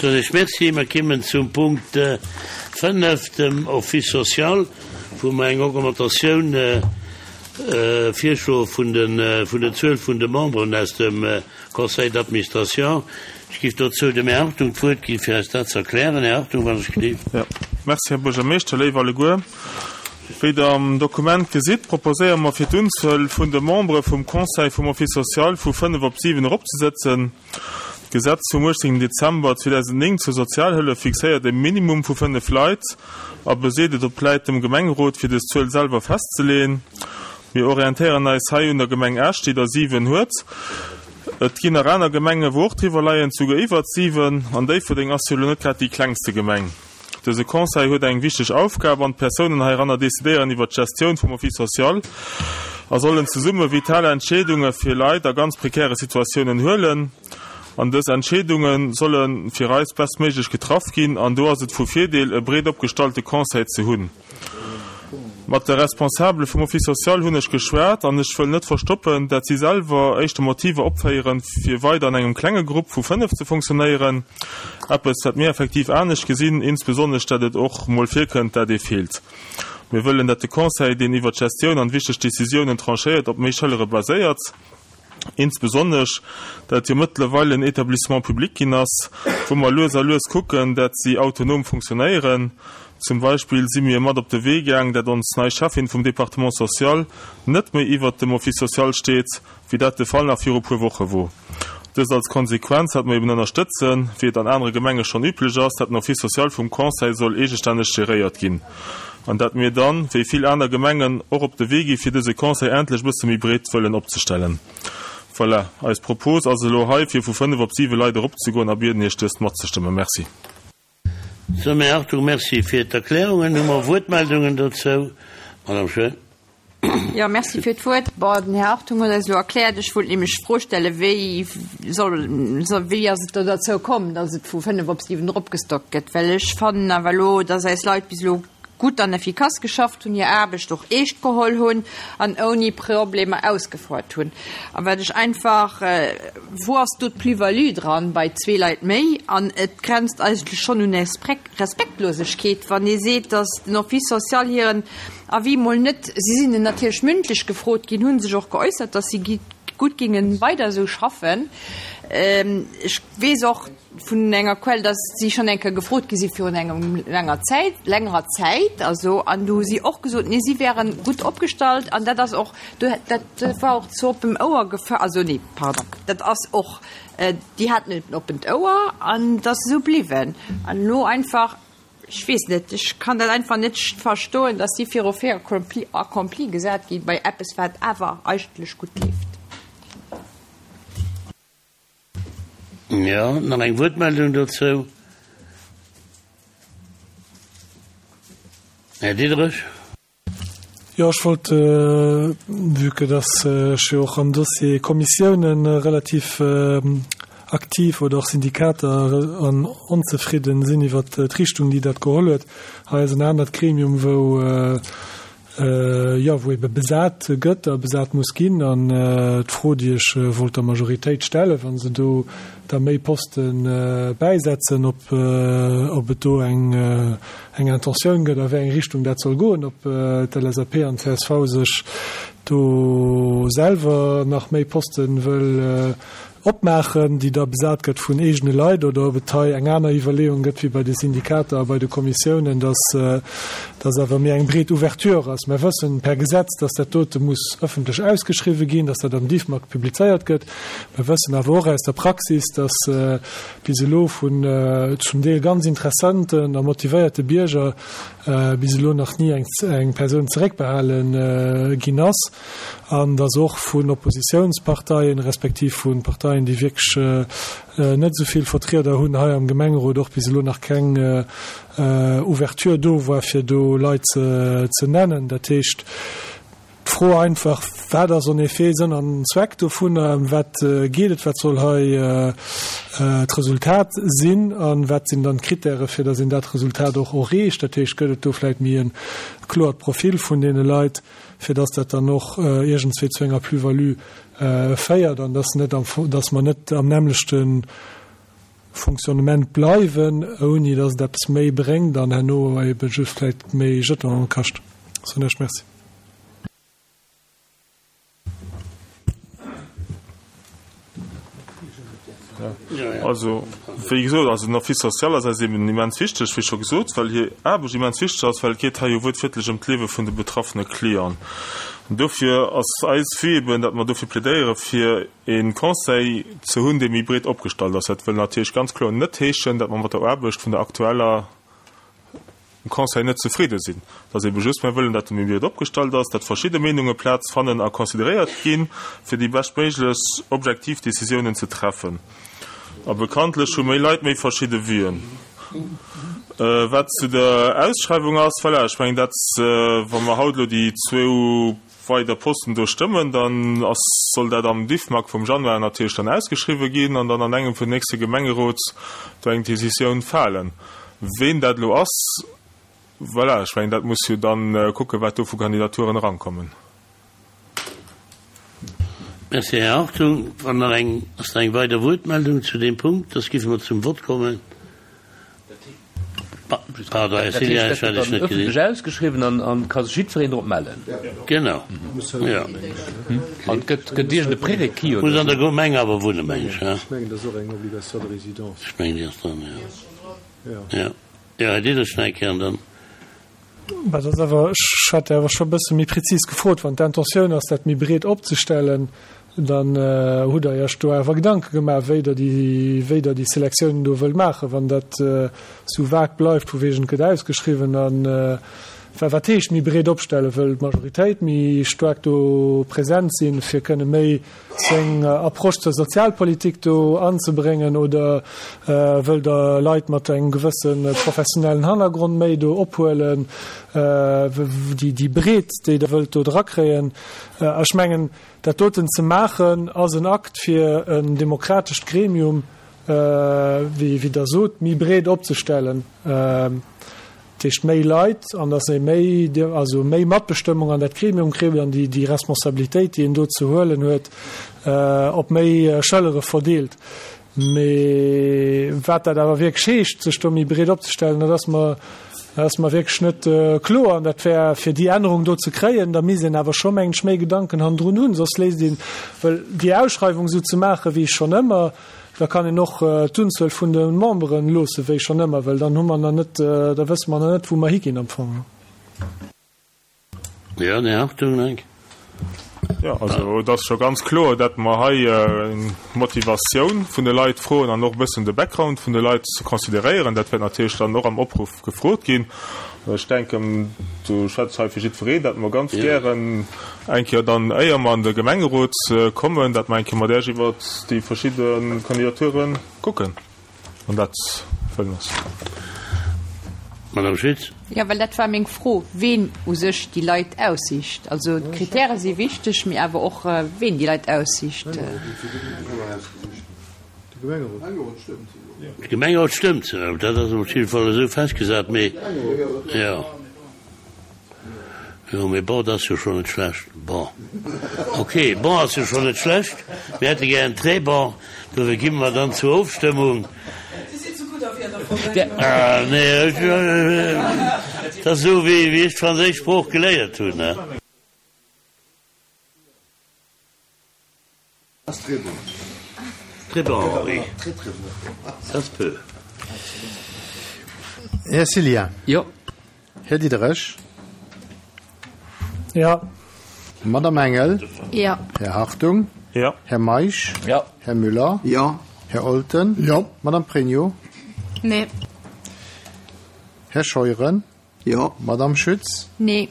soen ech Merci. Mer kimmen zum Punkt 5, dem Office social, wou mer eng Augmentatioun virschloe vun der Zuel vun de Memberen aus dem Conseil d'administration. Ech géif dozou dem Här Hartung d'Wuert ginn, fir eis dat ze erklären. Här Hartung, wann ech gleef. Jo, merci, Här Buergermeeschter. Léif alleguer, wéi Der am Dokument gesitt, proposéiere mer, fir d'Unzuel vun de Membere vum Conseil vum Office social vu fënnef op siwen eropzesëtzen. D'Gesetz vum 18 Dezember 2009 zur Sozialhëllef fixéiert e Minimum vu fënnef Leit a beseet, et opläit dem Gemengerot, fir dës Zuel selwer festzeleeën. Mir orientéieren eis hei un der Gemeng Esch, déi der 7 huet. Et ginn nach aner Gemengen, wou och driwwer leien, souguer iwwert 7. An Déifferdeng ass jo elo net grad déi klengste Gemeng. Dëse Conseil huet eng wichteg Aufgab an d'Persounen heiranner decidéieren iwwert d'Gestioun vum Office social a sollen zesumme vital Entscheedunge fir Leit a ganz prekäre Situatiounen huelen. An dës Entscheedunge solle fir eis bestméiglech getraff ginn an do ass et vu Virdeel, e breet opgestallte Conseil ze hunn. Mat de Responsabele vum Office social hunn ech geschwat an ech wëll net verstoppen, dat si selwer éischter Motiver opféieren, fir weider an engem klenge Grupp vu 5 ze funktionéieren. Eppes, wat mir effektiv anescht gesinn, insbesonnesch dat et och mol virkënnt, dat ee feelt. Mir wëllen, dat de Conseil, deen iwwert d'Gestioun an wichteg Decisiounen tranchéiert, op méi Schëllere baséiert. Insbesonnesch, dat et jo mëttlerweil en Établissement public ginn ass, wou mer lues a lues kucken, dat si autonom funktionéieren. Zum Beispill si mir mat op de Wee gaang, dat ons nei Cheffin vum Département social net méi iwwert dem Office social steet, wéi dat de Fall nach viru puer Woche wor. Dëst als Konsequenz, dat mer eben ënnerstëtzen, wéi et an anere Gemenge schonn üblech ass, dat den Office social vum Conseil soll eegestänneg geréiert ginn an dat mir dann, wéi vill aner Gemengen, och op de Wee gi fir dëse Conseil endlech e bësse méi breet wëllen opzestellen. Voilà, eis Propos ass elo hei, fir vu 5 op 7 Leit eropzegoen a bieden Iech dëst matzestëmmen. Merci. Sou, Här Hartung, Merci fir d'Erklärungen. Hu mer Wuertmeldungen dozou? Madame Schoen. Jo, merci fir d'Wuert. Bon, den Här Hartung huet eis elo erkläert, ech wollt nämlech d'Fro stellen, wéi soll, wéi ass et do derzou komm, datt et vu 5 op 7 eropgestockt gëtt? Well ech fannen awer elo, datt eis Leit bis elo gutt an effikass geschafft hunn, hir Aarbecht och eescht geholl hunn an ouni Problemer ausgefouert hunn. A wat ech einfach, wou ass do d'Plus-value dran bei zwee Leit méi? An et grenzt eigentlech schonn un Respektlosegkeet, wann ee seet, datt den Office social hiren Avis mol net, si sinn natierlech mündlech gefrot ginn, hu sech och geäussert, datt si gutt géinge weider esou schaffen. Ech weess och vun enger Quell, datt si schonn eng Kéier gefrot gi si virun engem laanger Zäit, längerer Zäit also, an do hu si och gesot, nee, si wäre gutt opgestallt an dat ass och, dat war och zu oppem Ouer gefa, also nee, pardon, dat ass och, déi haten en oppent Ouer an et ass esou bliwwen. An elo einfach Ech weess net, ech kann dat einfach net verstoen, dass si viru Fait accompli gesat gi bei eppes, wat awer eigentlech gutt leeft. Jo, nach eng Wuertmeldung dozou? Här Diderich. Jo, ech wollt, vue que dass ech jo och am Dossier Kommissiounen relativ aktiv oder och Syndikater an onzefridden sinn iwwert d'Richtung, déi dat geholl huet. Hei ass en anert Gremium, wou, jo, wou ebe besat gëtt a besat muss ginn. An d'Fro, déi ech wollt der Majoritéit stellen, wa se do da méi Poste bäisetzen, ob, ob et do eng, eng Intentioun gëtt, a wéi eng Richtung dat soll goen, ob d'LSAP an d'CSV sech do selwer nach méi Poste wëll opmaachen, déi da besat gëtt vun eegene Leit, oder ob et hei eng aner Iwwerleeung gëtt wéi bei de Syndikater a bei de Kommissiounen, dass dass awer méi eng breet Ouverture ass. Mer wëssen per Gesetz, dass dat dote muss ëffentlech ausgeschriwwen ginn, dass dat am Diffmag publizéiert gëtt. Mer wëssen awer och aus der Praxis, dass bis elo vun zum Deel ganz interessanten a motivéierte Bierger bis elo nach ni eng Persoun zeréckbehale ginn ass an dass och vun Oppositiounsparteien respektiv vu Parteien, déi wierklech net esou vill Vertrieder hunn hei am Gemengerot, och bis elo nach keng Ouverture do war, fir do Leit ze nennen. Dat heescht, D'Fro einfach, Wat ass en effet Sënn an Zweck dovunner? Ëm wat geet et? Wat soll hei d'Resultat sinn? A wat sinn dann d'Kritäre fir datt een dat Resultat och erreecht? Dat heescht, gëtt et do vläicht méi e kloert Profil vun deene Leit, fir datt dat dann och iergendswéi zu enger Plus-value féiert an datt net am, datt mer net am nämmlechte. Fonctionnement bleiwen, ouni datt et eppes méi bréngt an herno ebe just vläicht méi Jetonen kascht. Soen ech Merci. Also, wéi gesot, also den Office social ass eis eben immens wichteg, wéi scho gesot, well hir Aarbecht immens wichteg ass, well et geet hei jo wuertwiertlech ëm d'Liewe vun de betraffene Clienten. An dofir ass eis Vue eben, datt mer dofir plädéiere fir e Conseil ze hunn, dee méi breet opgestallt ass. Dat wëll natierlech ganz kloer net heeschen, datt mer mat der Aarbecht vun der aktueller Conseil net zefridde sinn. Et ass ebe just, mir wëllen, datt e méi breet opgestallt ass, datt verschidde Meenunge Plaz fannen a consideréiert ginn, fir déi beschtméiglech objektiv Décisiounen ze treffen. A bekanntlech hu méi Leit méi verschidde Vuen. Wat zu der Ausschreiwung ass, voilà, ech mengen dat, wa mer haut elo déi zwou weider Posten do stëmmen, dann ass, soll dat am Diffmag vum Januar natierlech dann ausgeschriwwen ginn an dann an engem vun den nächste Gemengerot do eng Décisioun falen. Ween dat elo ass, voilà, ech mengen, dat muss jo dann kucken, wat do vu Kandidaturen erankommen. Merci, Här Hartung. Wann nach eng, ass nach eng weider Wuertmeldung zu deem Punkt? Soss giffe mer zum Vott kommen. Pardon, Här Cilian, ech hat Iech net gesinn. Ëffentlech ausgeschriwwen an an ka sech jiddwereen drop mellen. Genau, jo. An et gëtt gëtt iergend e Prérequis oder Muss an der Gemeng awer wunnen, meng ech, ech mengen, dat ass och eng Obligation de résidence. Ech mengen, déi ass dran, jo. Jo, jo, Här Diderich, nach eng Kéier an dann. Mä dat ass awer, ech hat awer scho e bësse méi prezis gefrot, wann d'Intentioun ass, dat méi breet opzestellen, dann hutt Der Iech do awer Gedanke gemaach, wéi Der déi, wéi Der déi Selektiounen do wëllt maachen. Wann dat esou vag bleift, vu wegen et gëtt ausgeschriwwen a well wat heescht méi breet opstellen? Wëll d'Majoritéit méi staark do present sinn, fir kënne méi seng Approche zur Sozialpolitik do anzebréngen oder wëllt Der Leit mat engem gewësse professionellen Hannergrond méi do ophuelen, déi Breet, déi Der wëllt do drakréien? Ech mengen, dat doten ze maachen, ass en Akt, fir en demokratescht Gremium, wéi Der sot, méi breet opzestellen. Dat heescht méi Leit an datt ee méi, also méi Matbestëmmung an dat Gremium kritt an déi, déi Responsabilitéit, déi een do ze huelen huet, op méi Schëllere verdeelt. Mee wat dat awer wierklech heescht, sech do méi breet opzestellen, dat ass mer, dat ass mer wierklech net kloer. An dat wär, fir déi Ännerung do ze kréien, da misst een awer scho, mengen ech, méi Gedanken hannendrun hunn, soss léisst een, well déi Ausschreiwung esou ze maachen, wéi schonn ëmmer, Da kann een och d'Unzuel vun de Memberen loosse wéi schonn ëmmer, well dann hu mer nach net, da wësse mer nach net, wou mer higinn am Fong. Jo, den Här Hartung, denk. Jo, also et ass scho ganz kloer, datt mer hei d'Motivatioun vun de Leit froen an och e bëssen de Background vun de Leit ze consideréieren. Dat wäert natierlech dann och am Opruff gefrot ginn. Ech denken, do schwätze ech hei fir jiddwereen, datt mer ganz gären eng Kéier dann, éier mer an de Gemengerot kommen, datt mer eng Kéier mat Iech iwwert déi verschidde Kandidature kucken, wann dat wëllen ass. Madame Schütz. Jo, well dat war meng Fro, ween u sech déi Leit aussicht. Also d'Kritäre si wichteg, mee awer och ween déi Leit aussicht. De Gemengerot stëmmt se, dat ass op jidde Fall esou festgesat, mee jo, jo, mee bon, dat ass jo schonn net schlecht. Bon, ok, bon ass jo schonn net schlecht, mir hätte gären très bon, dofir gi mer dann zur Ofstëmmung. Ah, nee, dat ass esou wéi ech d'franséisch Sprooch geléiert hunn. Très bon, Henri. Ça se peut. Här Cillien. Jo. Här Diderich. Jo. Madame Engel. Jo. Här Hartung. Jo. Här Meisch. Jo. Här Müller. Jo. Här Olten. Jo. Madame Pregno. Nee. Här Scheuren. Jo. Madame Schütz? Nee.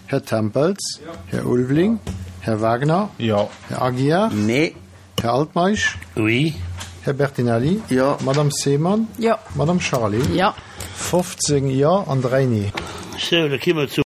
Här Tempels? Jo. Här Ulveling? Här Wagner? Jo. Här Aguiar? Nee. Här Altmeisch? Oui. Här Bertinelli? Jo. Madame Seemann? Jo. Madame Charlé? Jo. 15 Jo an 3 Nee. Sou, da ki mer zum.